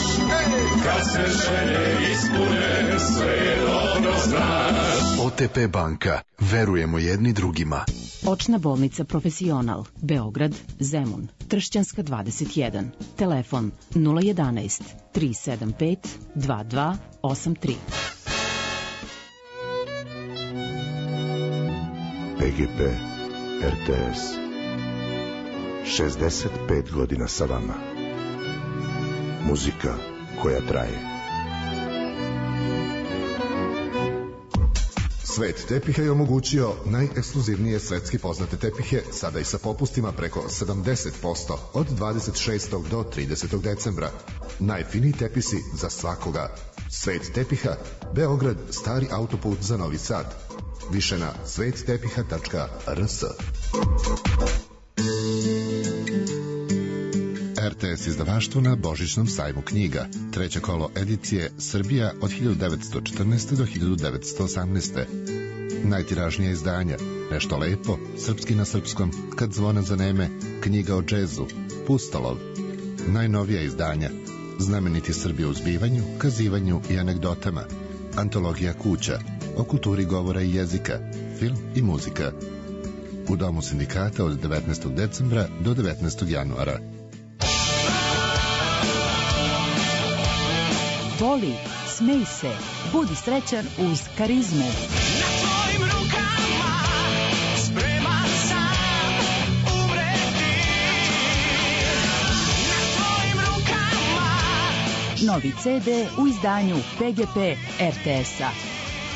Kad se želje ispune, sve je dobro znaš. O T P banka. Verujemo jedni drugima. Očna bolnica Profesional, Beograd, Zemun, Tršćanska dvadeset jedan. Telefon nula jedanaest tri sedam pet dva dva osam tri. P G P R T S. šezdeset pet godina sa vama. Muzika koja traje. Svet tepiha je omogućio najekskluzivnije svetski poznate tepihe, sada i sa popustima preko sedamdeset posto od dvadeset šestog do tridesetog decembra. Najfiniji tepisi za svakoga. Svet tepiha, Beograd, stari autoput za Novi Sad. Više na svet tepiha tačka r s. R T S izdavaštvo na Božićnom sajmu knjiga. Treće kolo edicije Srbija od hiljadu devetsto četrnaeste. do hiljadu devetsto osamnaeste. Najtiražnija izdanja Nešto lepo, Srpski na srpskom, Kad zvona zaneme, Knjiga o džezu, Pustolov. Najnovija izdanja Znameniti Srbi u zbivanju, kazivanju i anegdotama, Antologija kuća, o kulturi govora i jezika, film i muzika. U Domu sindikata od devetnaestog decembra do devetnaestog januara. Voli, smej se, budi srećan uz Karizmu. Na tvojim rukama spreman sam umreti. Na tvojim rukama. Novi ce de u izdanju P G P R T S-a.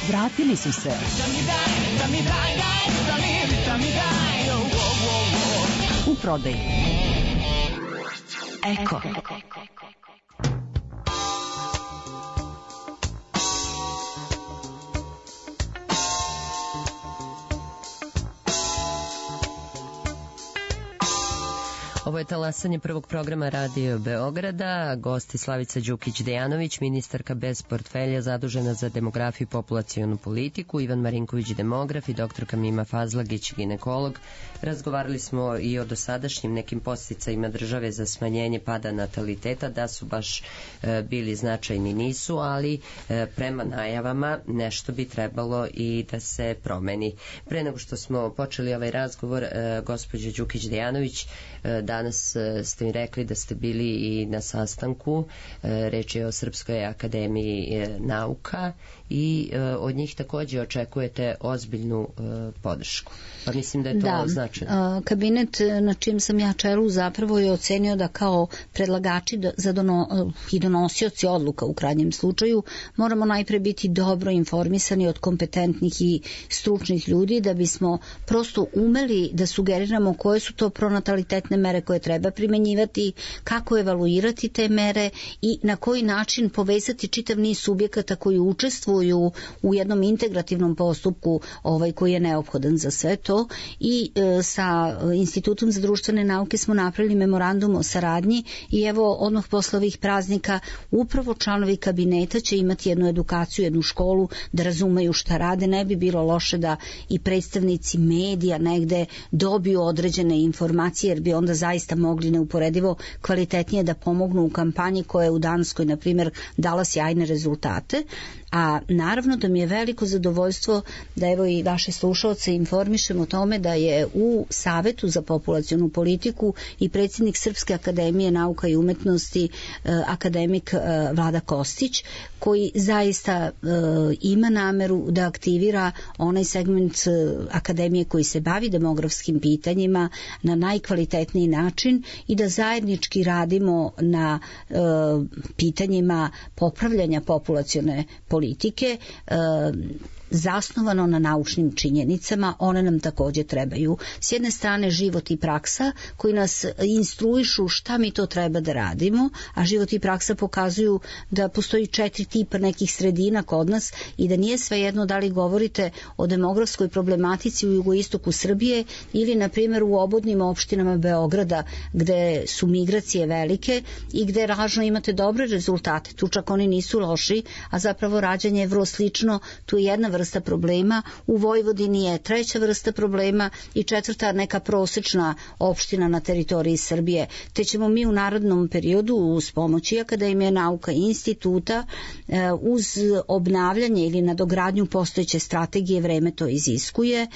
Vratili su se. Da mi daj, da mi daj, daj, da mi, da mi daj. Oh, oh, oh, oh. U prodaju. Eko. Ovo je talasanje prvog programa Radio Beograda. Gosti Slavica Đukić-Dejanović, ministarka bez portfelja zadužena za demografiju i populacionu politiku, Ivan Marinković, demograf, i doktorka Mima Fazlagić, ginekolog. Razgovarali smo i o dosadašnjim nekim podsticajima države za smanjenje pada nataliteta, da su baš e, bili značajni, nisu, ali e, prema najavama nešto bi trebalo i da se promeni. Pre nego što smo počeli ovaj razgovor, e, gospođa Đukić-Dejanović, e, danas ste mi rekli da ste bili i na sastanku, reč je o Srpskoj akademiji nauka, i od njih takođe očekujete ozbiljnu podršku. Pa mislim da je to da, značajno. Kabinet na čim sam ja čelu zapravo je ocenio da kao predlagači za dono, i donosioci odluka u krajnjem slučaju moramo najpre biti dobro informisani od kompetentnih i stručnih ljudi da bismo prosto umeli da sugeriramo koje su to pronatalitetne mere koje treba primenjivati, kako evaluirati te mere i na koji način povezati čitav niz subjekata koji učestvuju u jednom integrativnom postupku ovaj koji je neophodan za sve to. I e, sa Institutom za društvene nauke smo napravili memorandum o saradnji i evo odmah posle ovih praznika upravo članovi kabineta će imati jednu edukaciju, jednu školu da razumeju šta rade. Ne bi bilo loše da i predstavnici medija negde dobiju određene informacije, jer bi onda zaista mogli neuporedivo kvalitetnije da pomognu u kampanji koja je u Danskoj, na primjer, dala sjajne rezultate. A naravno da mi je veliko zadovoljstvo da evo i vaše slušalce informišem o tome da je u Savetu za populacionu politiku i predsjednik Srpske akademije nauka i umetnosti akademik Vlada Kostić, koji zaista ima nameru da aktivira onaj segment akademije koji se bavi demografskim pitanjima na najkvalitetniji način i da zajednički radimo na pitanjima popravljanja populacione politike politike zasnovano na naučnim činjenicama, one nam takođe trebaju. S jedne strane život i praksa koji nas instruišu šta mi to treba da radimo, a život i praksa pokazuju da postoji četiri tipa nekih sredina kod nas i da nije svejedno da li govorite o demografskoj problematici u jugoistoku Srbije ili na primjer u obodnim opštinama Beograda gde su migracije velike i gde ražno imate dobre rezultate. Tu čak oni nisu loši, a zapravo rađanje je vrlo slično. Tu je jedna vrsta problema, u Vojvodini je treća vrsta problema i četvrta neka prosečna opština na teritoriji Srbije. Te ćemo mi u narodnom periodu uz pomoći Akademije nauka i instituta uz obnavljanje ili nadogradnju postojeće strategije, vreme to iziskuje,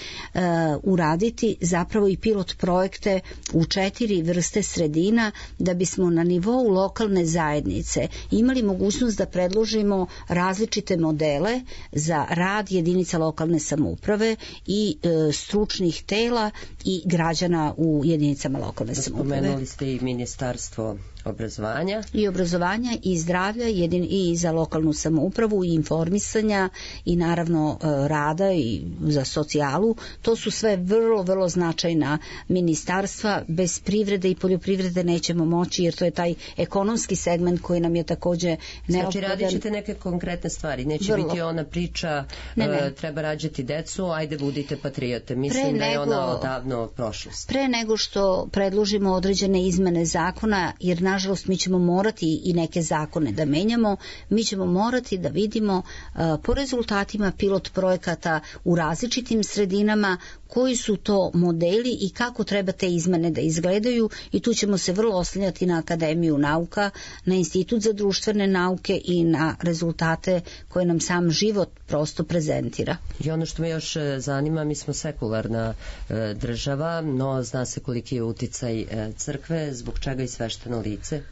uraditi zapravo i pilot projekte u četiri vrste sredina da bismo na nivou lokalne zajednice imali mogućnost da predložimo različite modele za rad jedinica lokalne samouprave i e, stručnih tela i građana u jedinicama lokalne samouprave. Spomenuli ste i ministarstvo obrazovanja i obrazovanja i zdravlja jedin, i za lokalnu samoupravu i informisanja i naravno rada i za socijalu. To su sve vrlo, vrlo značajna ministarstva. Bez privrede i poljoprivrede nećemo moći, jer to je taj ekonomski segment koji nam je takođe neophodan. Znači radit ćete neke konkretne stvari, neće vrlo. biti ona priča ne, ne. Uh, treba rađati decu, ajde budite patriote. Mislim pre da je nego, ona odavno prošlost. Pre nego što predložimo određene izmene zakona, jer nažalost mi ćemo morati i neke zakone da menjamo, mi ćemo morati da vidimo uh, po rezultatima pilot projekata u različitim sredinama koji su to modeli i kako treba te izmene da izgledaju, i tu ćemo se vrlo oslanjati na Akademiju nauka, na Institut za društvene nauke i na rezultate koje nam sam život prosto prezentira. I ono što me još zanima, mi smo sekularna e, država, no zna se koliki je uticaj e, crkve, zbog čega i svešteno lice?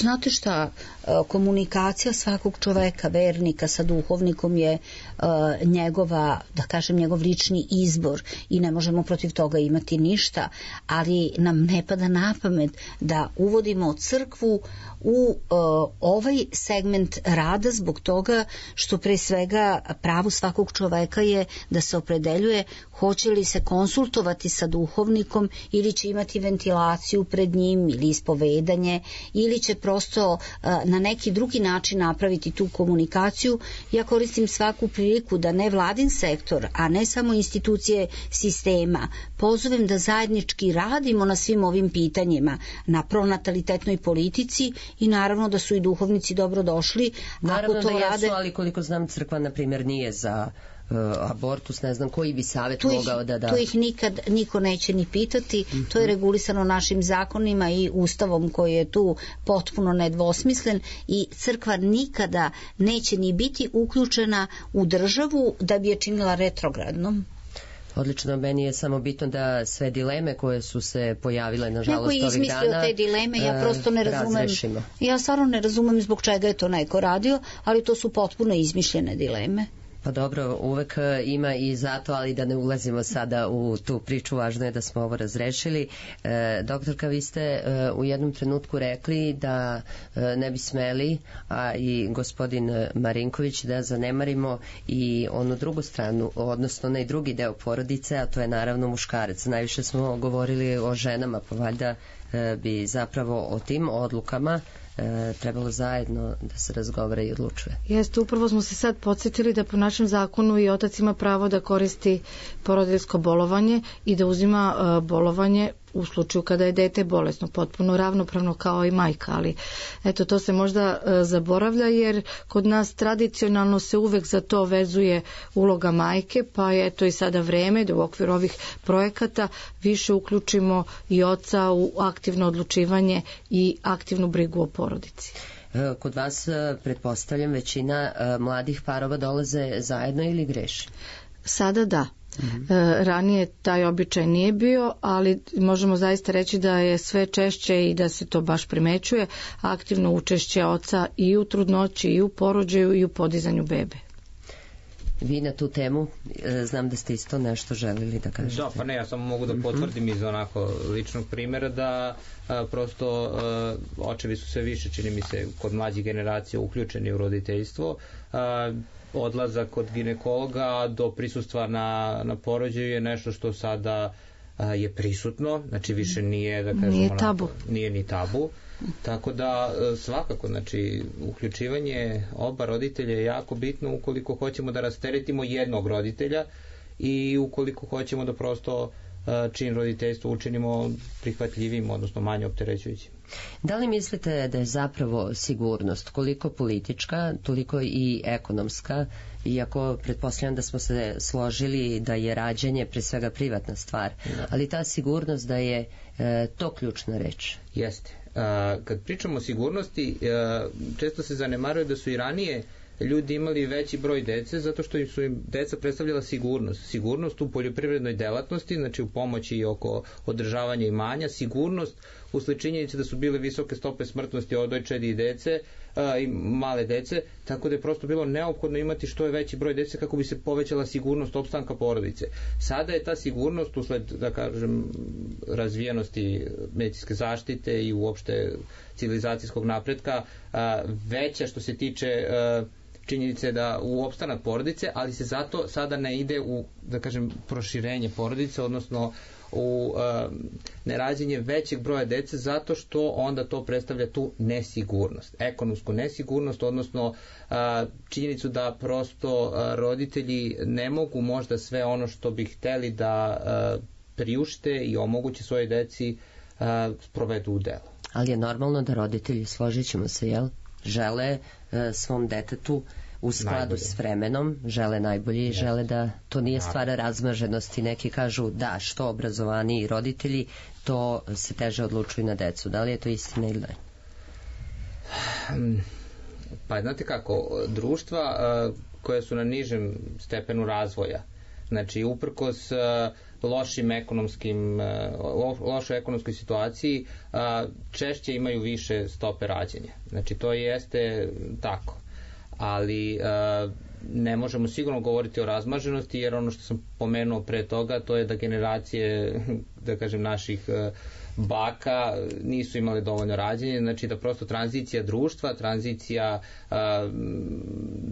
Znate šta, komunikacija svakog čoveka, vernika sa duhovnikom je uh, njegova, da kažem, njegov lični izbor i ne možemo protiv toga imati ništa, ali nam ne pada na pamet da uvodimo crkvu u uh, ovaj segment rada, zbog toga što pre svega pravo svakog čoveka je da se opredeljuje hoće li se konsultovati sa duhovnikom ili će imati ventilaciju pred njim ili ispovedanje ili će prosto uh, na neki drugi način napraviti tu komunikaciju. Ja koristim svaku priliku da ne vladin sektor, a ne samo institucije sistema, pozovem da zajednički radimo na svim ovim pitanjima, na pronatalitetnoj politici, i naravno da su i duhovnici dobro došli. Naravno ako to da jesu, rade... ali koliko znam crkva, na primjer, nije za uh, abortus, ne znam koji bi savjet tu mogao ih, da da. Tu ih nikad niko neće ni pitati, mm-hmm. To je regulisano našim zakonima i ustavom koji je tu potpuno nedvosmislen, i crkva nikada neće ni biti uključena u državu da bi je činila retrogradnom. Odlično, meni je samo bitno da sve dileme koje su se pojavile, nažalost, ovih dana, neko je izmislio te dileme, ja prosto ne razumem. Razrešimo. Ja stvarno ne razumem zbog čega je to neko radio, ali to su potpuno izmišljene dileme. Pa dobro, uvek ima i zato, ali da ne ulazimo sada u tu priču, važno je da smo ovo razrešili. E, doktorka, vi ste e, u jednom trenutku rekli da e, ne bi smeli, a i gospodin Marinković, da zanemarimo i onu drugu stranu, odnosno onaj drugi deo porodice, a to je naravno muškarac. Najviše smo govorili o ženama, pa valjda e, bi zapravo o tim odlukama E, trebalo zajedno da se razgovara i odlučuje. Jeste, upravo smo se sad podsjetili da po našem zakonu i otac ima pravo da koristi porodiljsko bolovanje i da uzima uh, bolovanje u slučaju kada je dete bolesno, potpuno ravnopravno kao i majka, ali eto, to se možda uh, zaboravlja, jer kod nas tradicionalno se uvek za to vezuje uloga majke, pa je eto i sada vreme da u okviru ovih projekata više uključimo i oca u aktivno odlučivanje i aktivnu brigu o porodici. Kod vas, pretpostavljam, većina mladih parova dolaze zajedno ili greši? Sada da. Mm-hmm. E, ranije taj običaj nije bio, ali možemo zaista reći da je sve češće i da se to baš primećuje aktivno učešće oca i u trudnoći, i u porođaju, i u podizanju bebe. Vi na tu temu, znam da ste isto nešto želili da kažete. Da, pa ne, ja samo mogu da potvrdim iz onako ličnog primjera da a, prosto a, očevi su sve više, čini mi se, kod mlađih generacija uključeni u roditeljstvo. A, odlazak kod ginekologa do prisustva na, na porođaju je nešto što sada a, je prisutno, znači više nije, da kažemo, nije tabu. Onako, nije ni tabu. Tako da svakako, znači, uključivanje oba roditelja je jako bitno ukoliko hoćemo da rasteretimo jednog roditelja i ukoliko hoćemo da prosto čin roditeljstva učinimo prihvatljivim, odnosno manje opterećujućim. Da li mislite da je zapravo sigurnost koliko politička, toliko i ekonomska, iako pretpostavljam da smo se složili da je rađanje pre svega privatna stvar, da. Ali ta sigurnost da je e, to ključna reč? Jeste. A, kad pričamo o sigurnosti, a, često se zanemaruje da su i ranije ljudi imali veći broj dece zato što im su im deca predstavljala sigurnost. Sigurnost u poljoprivrednoj delatnosti, znači u pomoći oko održavanja imanja, sigurnost usled činjenice da su bile visoke stope smrtnosti od dojčadi i dece, i male dece, tako da je prosto bilo neophodno imati što je veći broj dece kako bi se povećala sigurnost opstanka porodice. Sada je ta sigurnost usled, da kažem, razvijenosti medicinske zaštite i uopšte civilizacijskog napretka veća što se tiče činjenice da u opstanak porodice, ali se zato sada ne ide u, da kažem, proširenje porodice, odnosno u uh, nerađenje većeg broja dece, zato što onda to predstavlja tu nesigurnost, ekonomsku nesigurnost, odnosno uh, činjenicu da prosto uh, roditelji ne mogu možda sve ono što bi hteli da uh, priušte i omoguće svoje deci uh, provedu u delo. Ali je normalno da roditelji, složit ćemo se, jel, žele uh, svom detetu u skladu najbolje s vremenom, žele najbolje i žele da to nije stvar razmaženosti. Neki kažu da, što obrazovaniji roditelji, to se teže odlučuju na decu. Da li je to istina ili ne? Pa znate kako, društva uh, koja su na nižem stepenu razvoja, znači uprkos uh, lošim ekonomskim, uh, lošoj ekonomskoj situaciji, uh, češće imaju više stope rađenja. Znači to jeste tako. Ali uh, ne možemo sigurno govoriti o razmaženosti, jer ono što sam pomenuo pre toga, to je da generacije, da kažem, naših uh, baka nisu imale dovoljno rađenje, znači da prosto tranzicija društva, tranzicija, uh,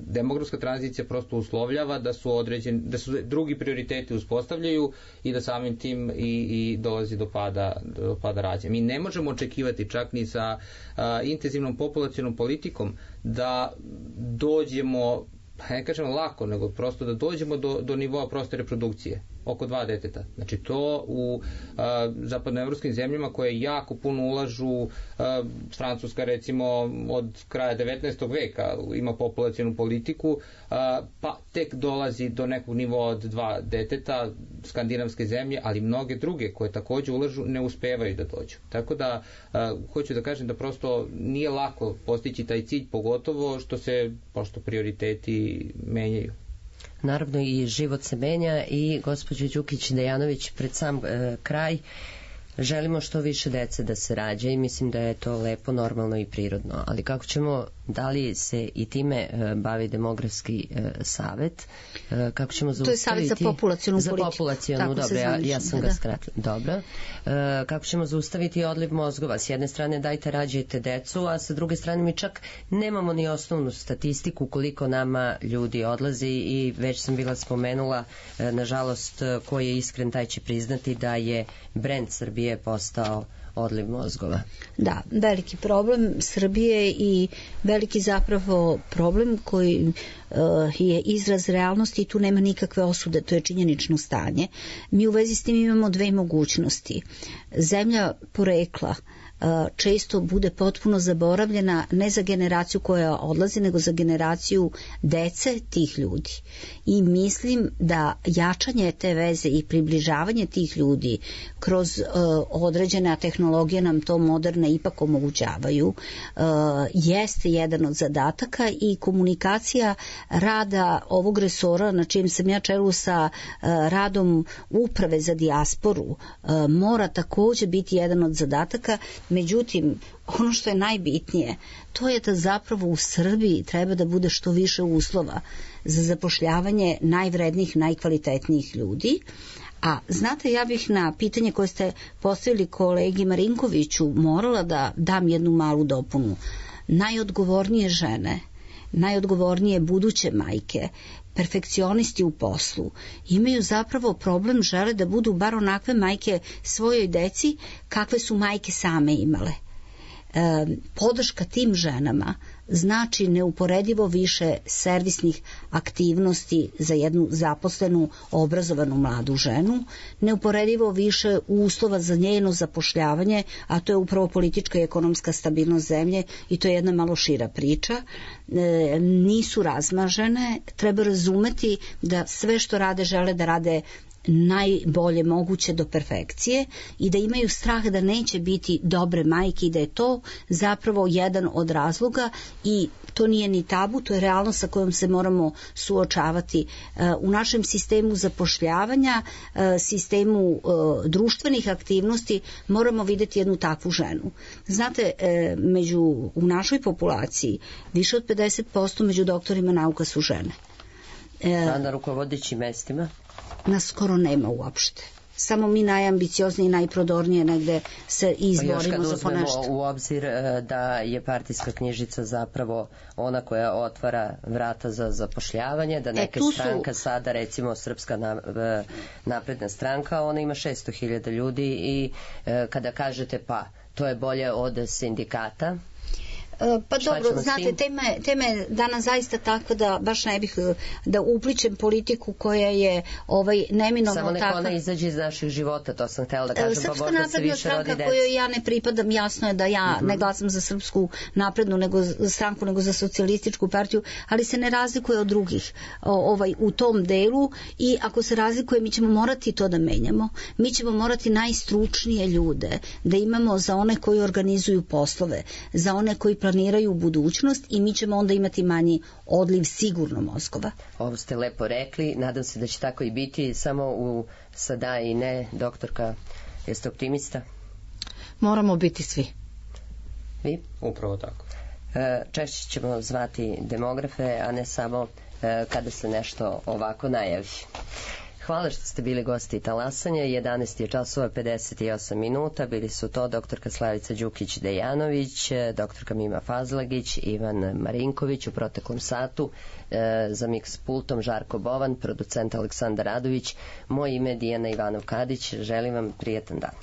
demografska tranzicija prosto uslovljava da su određeni, da su drugi prioriteti uspostavljaju i da samim tim i, i dolazi do pada, do pada rađenja. Mi ne možemo očekivati čak ni sa uh, intenzivnom populacionom politikom da dođemo, ne kažemo lako, nego prosto da dođemo do, do nivoa proste reprodukcije, oko dva deteta. Znači to u a, zapadnoevropskim zemljama koje jako puno ulažu, a, Francuska recimo od kraja devetnaestog veka ima populacionu politiku, a, pa tek dolazi do nekog nivoa od dva deteta, skandinavske zemlje, ali mnoge druge koje takođe ulažu ne uspevaju da dođu. Tako da a, hoću da kažem da prosto nije lako postići taj cilj, pogotovo što se pošto prioriteti menjaju. Naravno i život se menja i gospođo Đukić-Dejanović, pred sam e, kraj želimo što više dece da se rađa i mislim da je to lepo, normalno i prirodno, ali kako ćemo, da li se i time e, bavi demografski e, savet, e, kako ćemo zaustaviti... To je savet za populacionu za politiku. Populacionu, dobro, ja, ja sam da. ga skratila. Dobro. E, kako ćemo zaustaviti odliv mozgova? S jedne strane dajte rađajte decu, a sa druge strane mi čak nemamo ni osnovnu statistiku koliko nama ljudi odlazi i već sam bila spomenula, e, nažalost, ko je iskren taj će priznati da je brend Srbije je postao odliv mozgova. Da, veliki problem Srbije i veliki zapravo problem koji uh, je izraz realnosti i tu nema nikakve osude, to je činjenično stanje. Mi u vezi s tim imamo dve mogućnosti. Zemlja porekla često bude potpuno zaboravljena ne za generaciju koja odlazi, nego za generaciju dece tih ljudi. I mislim da jačanje te veze i približavanje tih ljudi kroz uh, određene tehnologije nam to moderne ipak omogućavaju, uh, jeste jedan od zadataka i komunikacija rada ovog resora na čijem sam ja čelu sa uh, radom uprave za dijasporu uh, mora takođe biti jedan od zadataka. Međutim, ono što je najbitnije, to je da zapravo u Srbiji treba da bude što više uslova za zapošljavanje najvrednijih, najkvalitetnijih ljudi. A znate, ja bih na pitanje koje ste postavili kolegi Marinkoviću morala da dam jednu malu dopunu. Najodgovornije žene, najodgovornije buduće majke, perfekcionisti u poslu, imaju zapravo problem, žele da budu bar onakve majke svojoj deci kakve su majke same imale. E, podrška tim ženama znači neuporedivo više servisnih aktivnosti za jednu zaposlenu, obrazovanu mladu ženu, neuporedivo više uslova za njeno zapošljavanje, a to je upravo politička i ekonomska stabilnost zemlje i to je jedna malo šira priča. E, nisu razmažene, treba razumeti da sve što rade žele da rade najbolje moguće do perfekcije i da imaju strah da neće biti dobre majke i da je to zapravo jedan od razloga i to nije ni tabu, to je realnost sa kojom se moramo suočavati. U našem sistemu zapošljavanja, sistemu društvenih aktivnosti moramo videti jednu takvu ženu. Znate, među, u našoj populaciji više od pedeset posto među doktorima nauka su žene. A na rukovodećim mestima? Nas skoro nema uopšte. Samo mi najambicioznije i najprodornije negde se izborimo za po nešto. Pa još kad uzmemo u obzir da je partijska knjižica zapravo ona koja otvara vrata za zapošljavanje, da neka e, stranka su... sada, recimo Srpska napredna stranka, ona ima šesto hiljada ljudi i kada kažete pa, to je bolje od sindikata. Pa dobro, znate, tema, tema je danas zaista tako da baš ne bih da upličem politiku koja je ovaj, neminovno takva. Samo neko ona izađe iz naših života, to sam htjela da kažem. Srpska pa napredna se više stranka kojoj ja ne pripadam, jasno je da ja mm-hmm. ne glasam za Srpsku naprednu nego stranku, nego za socijalističku partiju, ali se ne razlikuje od drugih ovaj, u tom delu i ako se razlikuje mi ćemo morati to da menjamo. Mi ćemo morati najstručnije ljude da imamo za one koji organizuju poslove, za one koji planiraju budućnost i mi ćemo onda imati manji odliv sigurno mozgova. Ovo ste lepo rekli, nadam se da će tako i biti, samo u sada i ne, doktorka, jeste optimista? Moramo biti svi. Vi? Upravo tako. Češće ćemo zvati demografe, a ne samo kada se nešto ovako najavi. Hvala što ste bili gosti Talasanja. jedanaest je časova pedeset osam minuta. Bili su to doktorka Slavica Đukić-Dejanović, doktorka Mima Fazlagić, Ivan Marinković u proteklom satu, e, za miks pultom Žarko Bovan, producent Aleksandar Radović. Moje ime je Dijana Ivanov-Kadić. Želim vam prijetan dan.